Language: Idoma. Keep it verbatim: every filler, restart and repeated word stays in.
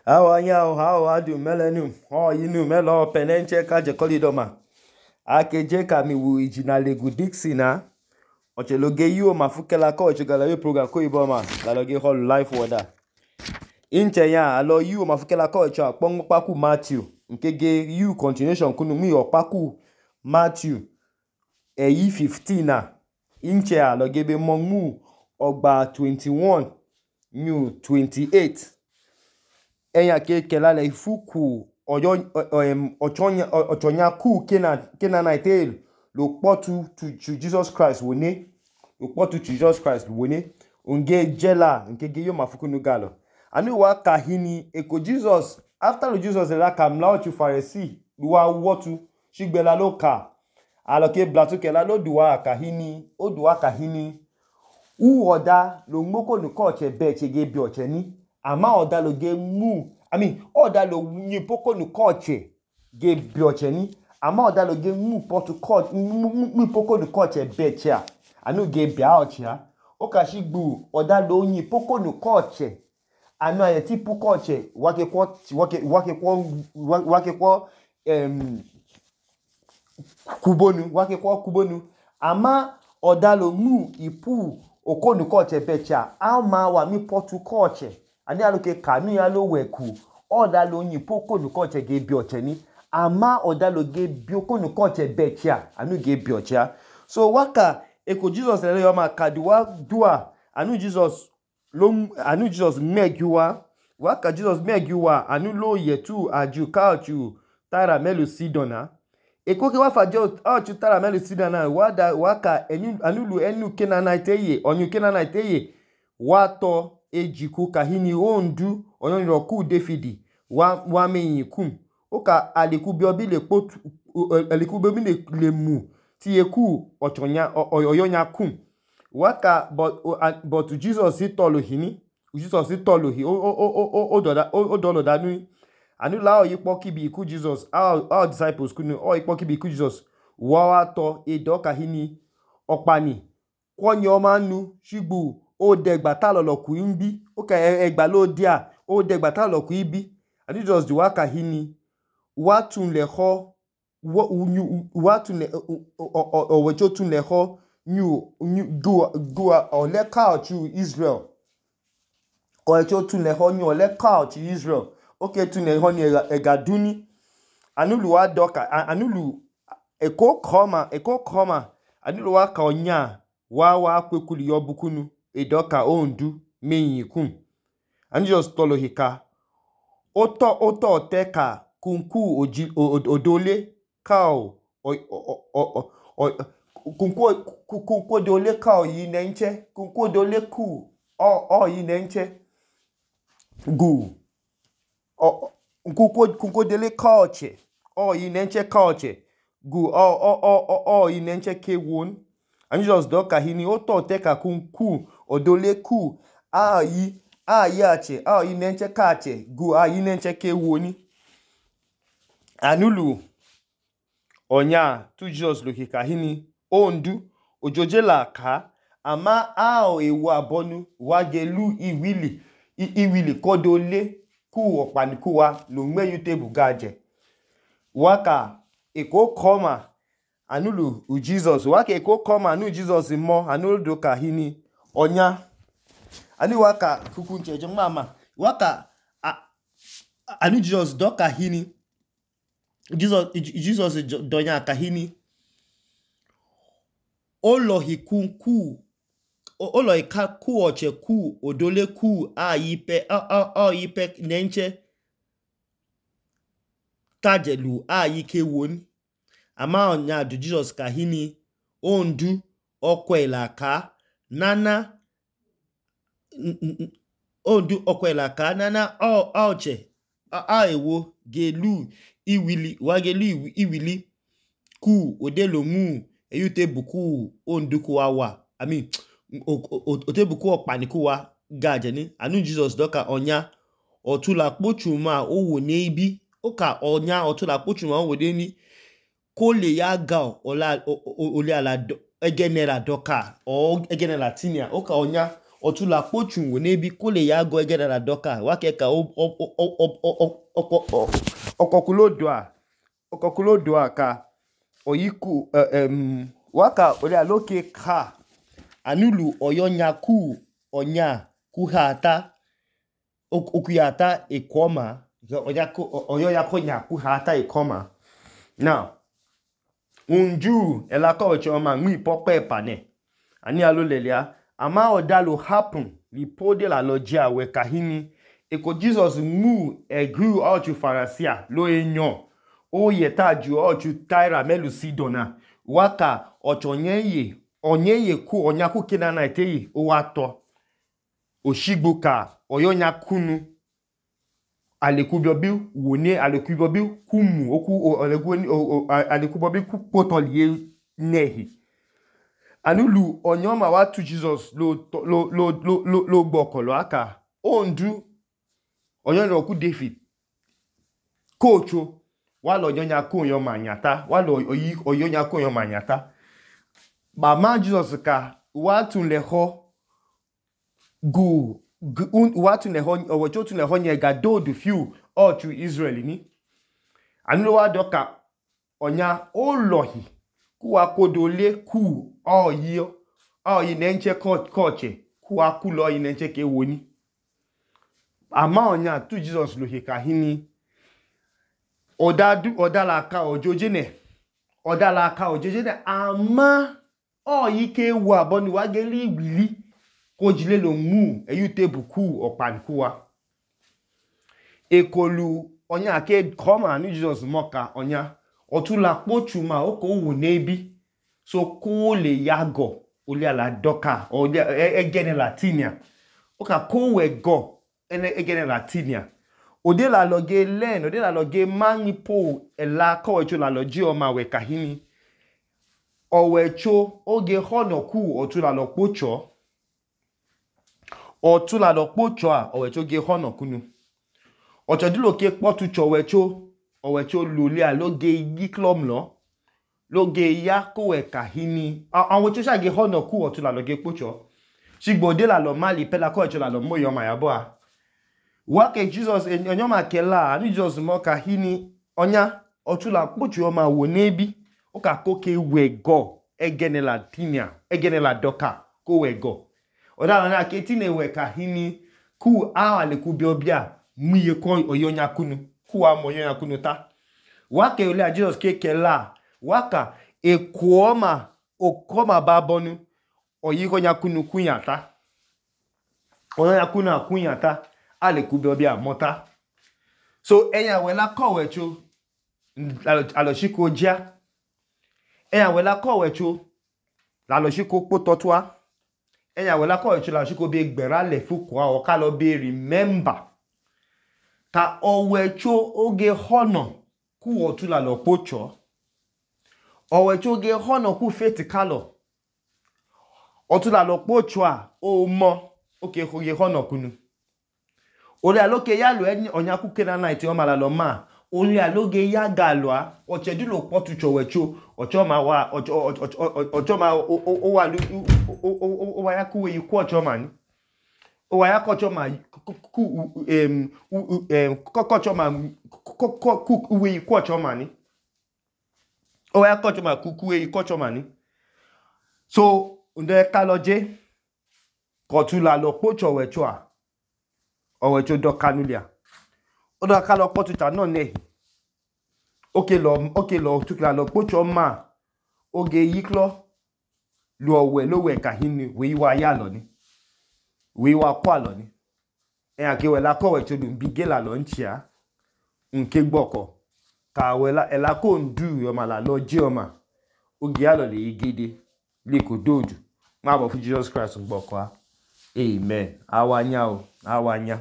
How are you? How are you? Melenu. Oh, you know, Melo Penenche Kaje Kolidoma. Akeje kami wu ijinale gudiksi na. Oche loge yu mafukela ko oche galayo program ko iboma. Laloge hall life wada. Inche ya alo yu mafukela ko oche akpong paku Matthew. Nkege yu continuation kunu mi opaku Matthew. Eyi fifteen na. Inche alo gebe mongu ogba twenty-one. New twenty-eight. Eya ke kelale ifuku oyo ochonya ochonya ku kena kena na itel lo potu to to Jesus Christ woni lo potu to Jesus Christ woni unge jela nke ge yo mafuku nu galo anu wa kahini eko Jesus after lo Jesus la kamla o tu Pharisee duwa wotu shigbela lo ka aloke blatu kela lo duwa kahini o duwa kahini u oda lo ngoko nu ko che be che ge bi oche ni ama oda lo ge mu I mean oda lo nyi poko nu koche ge bi oche ni ama oda lo ge mu potu ko mu poko nu koche be cha anu ge bi a oche ha o ka shigbu oda lo nyi poko nu koche anu aye ti pu koche wake ko wake wake ko wake ko em kubonu wake ko kubonu ama oda lo mu ipu okonu koche be cha ama wa mi potu koche ani aloke kanu ya lo weku oda lo yin poko nu koche ge bi oche ni ama oda lo ge bi okonu koche becha anu ge bi oche so waka eko Jesus le yo ma kaduwa dua anu Jesus lo anu Jesus megiwa waka Jesus megiwa anu lo yetu aju kauchu tara melu sidona eko ke wa fajo aju tara melu sidona wada waka enu anu lu enu kenana iteye onyu kenana iteye wato ejiku kahini ondu onyo ku Davidi wa wa meyin kum oka aliku bi obi le potu aliku bi le le mu ti eku ochonya oyonya kum waka but but Jesus si tolo hini Jesus si tolo hi o o o o doda o dolo danu anu la oyipo kibi iku Jesus our, our disciples kunu o ipo kibi iku Jesus wa wa to edo kahini opani kwonyo manu shigbu o degba ta lolo ku imbi o ka egba lo dia o degba ta lolo ku ibi and just the waka hini wa tun le ho wa tun le o we cho tun le ho new do do o le ka to Israel o cho tun le ho new le ka to Israel okay tun le ho ni egaduni anulu wa doka anulu eko koma eko koma anulu wa ka onya wa wa kwekuli yo bukunu edoka ondu meyikum and just tolo hika oto oto teka kunku oji odole kao kunku kunku odole kao yi nenche kunku odole ku o o yi nenche gu o kunku kunku odole kaoche o yi nenche kaoche gu o o o o yi nenche kewon and just doka hini oto teka kunku odole ku a yi a yi ache a yi nenche kache gu a yi nenche kewoni anulu onya tu Jesus lokika hini ondu ojoje la ka ama a o ewu abonu wagelu iwili iwili kodole ku opaniku wa lo nme yutebu gaje waka eko koma anulu u Jesus waka eko koma anu Jesus mo anulu doka hini onya ani waka kukunche je mama waka anu Jesus doka hini Jesus Jesus donya kahini olo hikunku olo ika ku oche ku odole ku ayipe a a yipe nenche tajelu ayike won ama onya du Jesus kahini ondu okwela ka nana ondu okwela ka nana o oche a ewo gelu iwili wagelu iwili ku odelo mu eyute buku onduku wa I mean otebuku opaniku wa gaje ni anu Jesus doka onya otula pochuma owo ne ibi oka onya otula pochuma owo de ni ko le ya ga ola ole ala egenera doka o egenera tinia oka onya otula kpochu wo nebi kole ya go egene la doka wakeka okokulodoa okokulodoa ka oyiku em waka ole aloke ka anulu oyonyaku onya kuhata okuyata ekoma oyako oyoyako nya kuhata ekoma. Now unju elako wechoma ngmi pope pane ani alo lelia ama odalo happen lipode la logia we kahini eko Jesus mu egru ochu farasia lo enyo o yeta ju ochu Tyra melu Sidona waka ochonyeye onyeye ku onyaku kinana iteyi o wato oshigbuka oyonyakunu alekubobi woni alekubobi kumu oku alekubobi kupotoliye nehi anulu onyoma watu Jesus lo lo lo lo lo, lo gbokolo aka ondu onyono ku David kocho walo onyonya ku yoma nyata walo oyi onyonya ku yoma nyata ba ma Jesus ka watu leho gu watu leho owocho tu leho nyega do du few all to Israel ni anulu wa doka onya olohi ku akodole ku oyi oyi nenche koche ku akulo oyi nenche ke woni ama onya tu Jesus lo hekahini odadu odala ka ojojene odala ka ojojene ama oyi ke wa bonu wa geli wili ko jile lo mu eyute buku opankuwa ekolu onya ke koma ni Jesus moka onya otula kpochuma oko wo nebi so ko le yago ole ala doka o egene latinia oka ko we go ene egene latinia ode la loge len ode la loge manipo ela ko wecho la loji o ma we kahini owecho oge hono ku otula lo kpocho otula lo kpocho a owecho ge hono kunu ochodulo ke kpotu cho wecho owecho lule a loge yiklom lo loge yako we kahini awon cho sha ge hono ku otula loge kpocho shigbo de la lo mali pela ko wecho la lo moyo ma yabo a wake Jesus onyoma kela ani Jesus mo kahini onya otula kpocho ma wo nebi o ka koke we go egene la tinia egene la doka ko we go oda na ke tine we kahini ku a ale ku biobia muye ko oyonya kunu ku a moyonya kunu ta wake ole Jesus ke kela waka ekuoma okoma babonu oyiko nyakunu kunyata oyonya kunu akunyata ale ku biobia mota so eya wela ko wecho alo shiko ja eya wela ko wecho la lo shiko pototwa eya wela ko wecho la shiko be gbera le fuko o ka lo be remember ka owecho oge hono ku otula lo pocho owecho oge hono ku feti kalo otula lo pocho a o mo oke oge hono kunu ole aloke ya lo eni onyaku kenana iti o mala lo ma ole aloge ya galwa ochedulo potu chowecho ochoma wa ochoma o wa o wa ya ku yi ku ochoma ni o wa ya ko ochoma ku em em ko ochoma ku we ku ochoma ni o wa ya ko ochoma ku ku we ku ochoma ni so nde kaloje ko tula lo pocho wecho a owecho do kanulia o do kalo potu ta no ne oke lo oke lo tukla lo pocho ma oge yiklo lo we lo we kahini we wa ya lo ni we wa kwa lo ni e ake we la ko wecho dun bigela lo nchia nke gboko ka we la ela ko ndu yo ma la lo ji o ma oge ya lo le igede le ko doju ma bo fu Jesus Christ gboko a amen awanya o awanya.